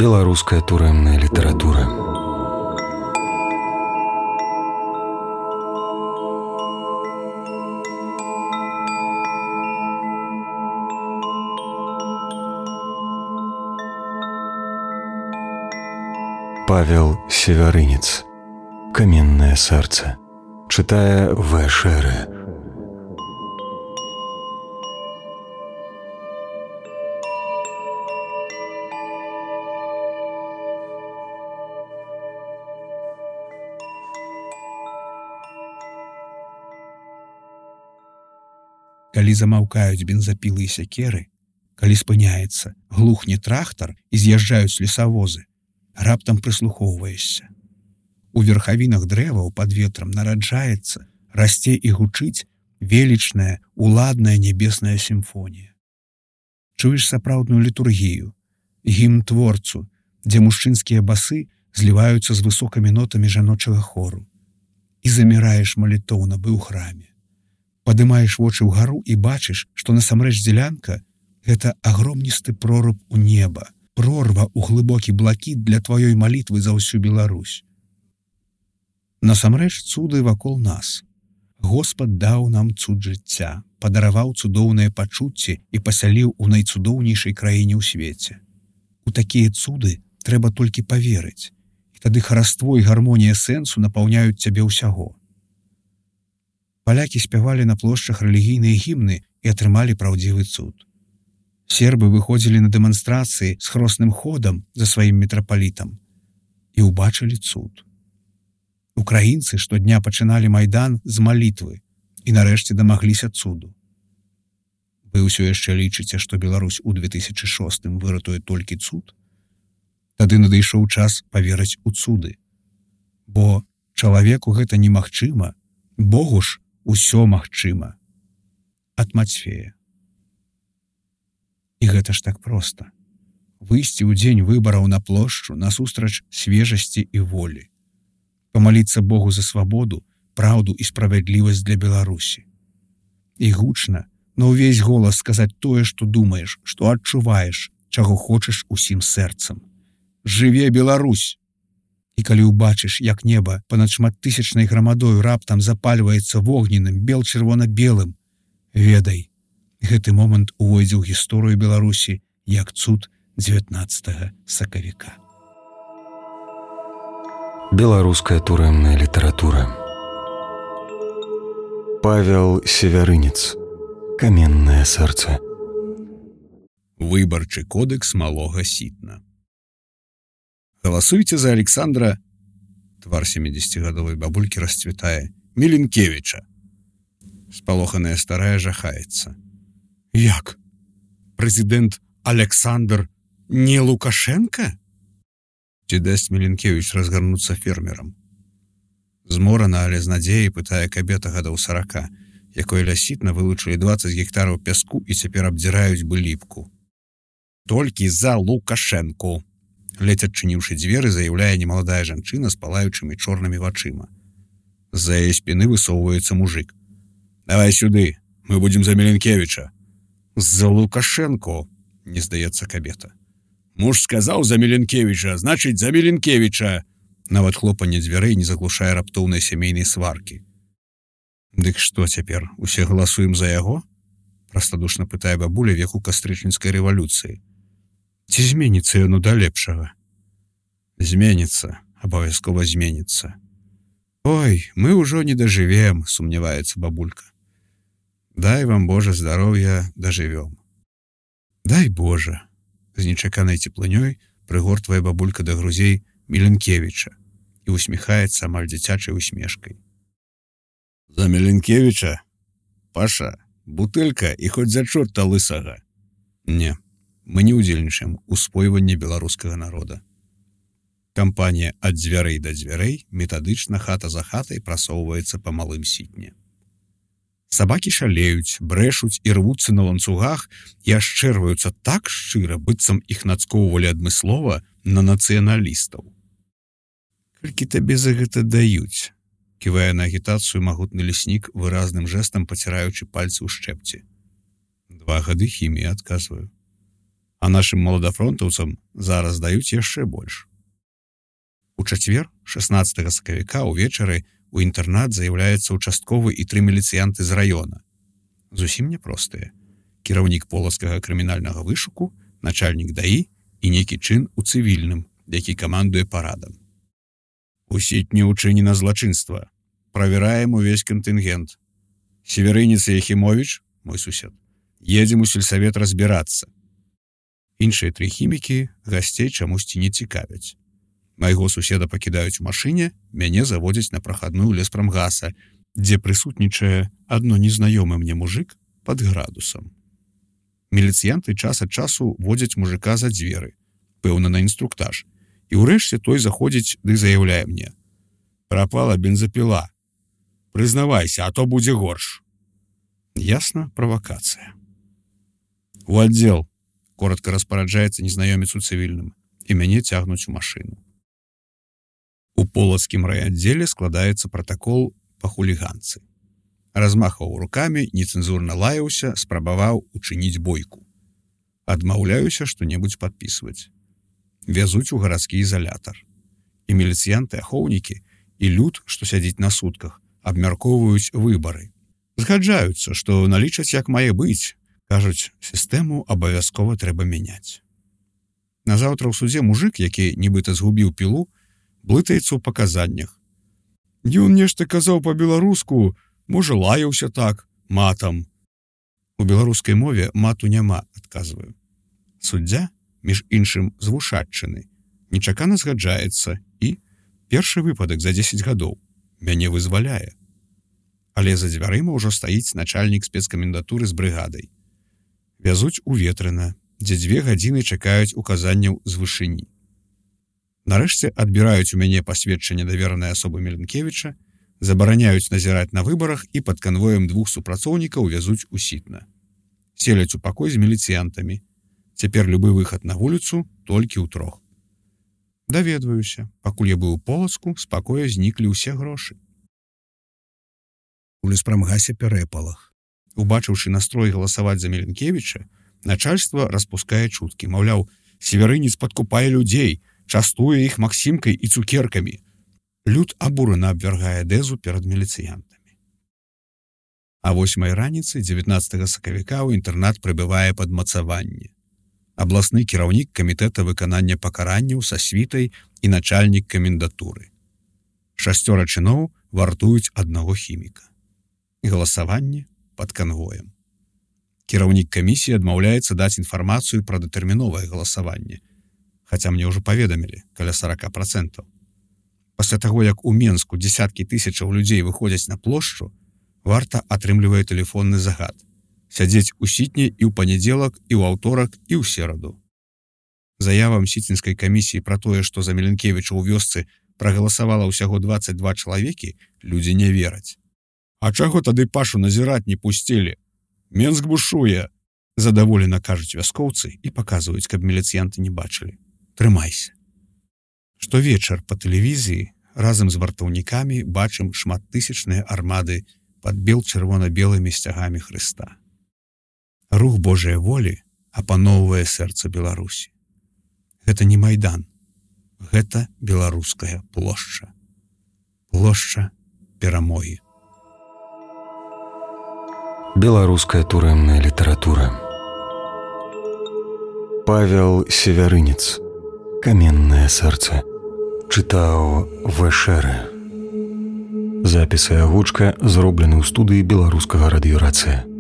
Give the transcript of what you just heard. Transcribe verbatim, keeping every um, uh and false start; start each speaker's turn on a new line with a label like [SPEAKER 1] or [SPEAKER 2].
[SPEAKER 1] Беларуская турэмная літаратура. Павел Севярынец. Каменное сердце. Читая В. Шере.
[SPEAKER 2] Калі замаўкаюць бензапілы і сякеры, калі спыняецца, глухне трактар і з'язджаюць лесавозы, раптам прыслухоўваешся. У верхавінах дрэваў пад ветрам нараджаецца, расце і гучыць велічная, уладная нябесная сімфонія. Чуеш сапраўдную літургію, гімн творцу, дзе мужчынскія басы зліваюцца з высокімі нотамі жаночага хору. І заміраеш малітоўна бы ў храме. Падымаеш вочы ўгару і бачыш, што насамрэч дзелянка — гэта агромністы проруб у неба, прорва ў глыбокі блакіт для тваёй малітвы за ўсю Беларусь. Насамрэч цуды вакол нас. Господ даў нам цуд жыцця, падараваў цудоўныя пачуцці і пасяліў у найцудоўнейшай краіне ў свеце. У такія цуды трэба толькі паверыць, і тады хараство і гармонія сэнсу напаўняюць цябе ўсяго. Палякі спявалі на плошчах рэлігійныя гімны і атрымалі праўдзівы цуд. Сербы выходзілі на дэманстрацыі з хросным ходам за сваім мітрапалітам і ўбачылі цуд. Украінцы штодня пачыналі майдан з малітвы і нарэшце дамагліся цуду. Вы ўсё яшчэ лічыце, што Беларусь у две тысячы шостым выратуе толькі цуд? Тады надышоў час паверыць у цуды. Бо чалавеку гэта немагчыма, Богу ж усё магчыма. Ад Мацфея. І гэта ж так проста. Выйсці ў дзень выбараў на плошчу насустрач свежасці і волі. Памаліцца Богу за свабоду, праўду і справядлівасць для Беларусі. І гучна, на ўвесь голас сказаць тое, што думаеш, што адчуваеш, чаго хочаш усім сэрцам. Жыве Беларусь! І калі ўбачыш, як неба панад шматтысячнай грамадою раптам запальваецца вогненным бел-чырвона-белым, ведай, гэты момант увойдзе ў гісторыю Беларусі як цуд дзевятнаццатага сакавіка.
[SPEAKER 1] Беларуская турэмная літаратура. Павел Севярынец. Каменное сердце.
[SPEAKER 2] Выбарчы кодекс малога сітна. Галасуйце за Александра, твар семидесятигадовой бабульки расцвітае, Міленкевіча. Спалоханая старая жахаецца. Як? Прэзідэнт Александр не Лукашенко? Ці дасць Міленкевіч разгарнуцца фермерам? Зморана, але з надзеяй пытае кабета гадоў сарака, якой ля сітна вылучылі дваццаць гектараў пяску і цяпер абдзіраюць бы ліпку. Толькі за Лукашенку. Ледзь адчыніўшы дзверы, заяўляе немаладая жанчына з палаючымі чорнымі вачыма. З-за яе спіны высоўваецца мужик. Давай сюды, мы будзем за Міленкевіча. За Лукашенко, не здаецца кабета. Муж сказаў за Міленкевіча, значыць за Міленкевіча. Нават хлопанне дзвярэй не заглушае раптоўнай сямейнай сваркі. Дык што цяпер, усе галасуем за яго? Прастадушна пытае бабуля веку кастрычніцкай рэвалюцыі. Ці зменіцца яно да лепшага? Зменіцца, абавязкова зменіцца. Ой, мы ўжо не дажывем, сумняваецца бабулька. Дай вам, Божа, здароўя, дажывём. Дай Божа, з нечаканай цеплынёй прыгортвае бабулька да грузей Міленкевіча і усміхаецца амаль дзіцячай усмешкай. За Міленкевіча? Паша, бутэлька і хоць за чорта лысага. Не. Мы не ўдзельнічаем у спойванні беларускага народа. Кампанія ад дзвярэй да дзвярэй метадычна хата за хатай прасоўваецца па малым сітне. Сабакі шалеюць, брэшуць і рвуцца на ланцугах і ашчэрваюцца так шчыра, быццам іх нацкоўвалі адмыслова на нацыяналістаў. Колькі табе за гэта даюць? Ківае на агітацыю магутны леснік, выразным жэстам паціраючы пальцы ў шчэпці. Два гады хіміі, адказваю. А нашым маладафронтаўцам зараз даюць яшчэ больш. У чацвер, шаснаццатага сакавіка ўвечары у інтэрнат заяўляецца участковы і тры міліцыянты з раёна. Зусім няпростыя. Кіраўнік полацкага крымінальнага вышуку, начальнік ДАІ і нейкі чын у цывільным, які камандуе парадам. Усіть не ўчынена злачынства. Правяраем увесь кантынгент. Северынец Яхімовіч, мой сусед, едзем у сельсавет разбірацца. Іншыя тры хімікі гасцей чамусьці не цікавяць. Майго суседа пакідаюць у машыне, мяне заводзяць на прахадную леспрамгаса, дзе прысутнічае адно незнаёмы мне мужик пад градусам. Міліцыянты час ад часу водзяць мужика за дзверы, пэўна на інструктаж, і ўрэшце той заходзіць ды заяўляе мне: «Прапала бензапіла. Прызнавайся, а то будзе горш». Ясна, правакацыя. У аддзел, коротко распараджаецца незнаёмец у цывільным, і мяне цягнуць у машыну. У полацкім райаддзеле складаецца пратакол па хуліганцы. Размахваў рукамі, нецэнзурна лаяўся, спрабаваў учыніць бойку. Адмаўляюся што-небудзь падпісваць. Вязуць у гарадскі ізалятар. І міліцыянты-ахоўнікі, і люд, што сядзіць на сутках, абмяркоўваюць выбары. Згаджаюцца, што налічаць як мае быць. Кажуць, сістэму абавязкова трэба мяняць. Назаўтра ў судзе мужик, які нібыта згубіў пілу, блытаецца ў паказаннях. Ён нешта казаў па-беларуску, можа, лаяўся так, матам. У беларускай мове мату няма, адказваю. Суддзя, між іншым з Вушаччыны, нечакана згаджаецца і першы выпадак за дзесяць гадоў мяне вызваляе. Але за дзвярыма ўжо стаіць начальнік спецкамендатуры з брыгадай. Вязуць у Ветрына, дзе дзве гадзіны чакаюць указанняў з вышыні. Нарэшце адбіраюць у мяне пасведчанне даверанай асобы Меленкевіча, забараняюць назіраць на выбарах і пад канвоем двух супрацоўнікаў вязуць у Сітна. Селяць у пакой з міліцыянтамі. Цяпер любы выхад на вуліцу толькі ў трох. Даведваюся, пакуль я быў у Полацку, з пакоя зніклі ўсе грошы. У леспрамгасе пярэпалах. Убачыўшы настрой галасаваць за Меленкевіча, начальства распускае чуткі, маўляў, северынец падкупае людзей, частуе іх максімкай і цукеркамі. Люд абурана абвяргае дэзу перад міліцыянтамі. А восьмай раніцы дзевятнаццатага сакавіка ў інтэрнат прыбывае падмацаванне. Абласны кіраўнік камітэта выканання пакаранняў са світай і начальнік камендатуры. Шасцёра чыноў вартуюць аднаго хіміка. Галасаванне пад канвоем. Кіраўнік камісіі адмаўляецца даць інфармацыю пра датэрміновае галасаванне, хаця мне ўжо паведамілі, каля сорок процентаў. Пасля таго, як у Менску дзесяткі тысячаў людзей выходзяць на плошчу, варта атрымлівае тэлефонны загад. Сядзець у Сітні і ў панядзелак, і ў аўторак, і ў сераду. Заявам сіцінскай камісіі пра тое, што за Меленкевіча ў вёсцы прагаласавала ўсяго дваццаць два чалавекі, людзі не вераць. А чаго тады Пашу назіраць не пусцілі? Менск бушуе, задаволена кажуць вяскоўцы і паказваюць, каб міліцыянты не бачылі. Трымайся. Штовечар па тэлевізіі разам з вартаўнікамі бачым шматтысячныя армады пад бел-чырвона-белымі сцягамі Хрыста. Рух Божай волі апаноўвае сэрца Беларусі. Гэта не Майдан, гэта беларуская плошча. Плошча перамогі.
[SPEAKER 1] Беларуская турэмная літаратура. Павел Севярынец. Каменнае сэрца. Чытаў Вэшэры. Запіс і агучка зроблены ў студыі беларускага радыёрацыя.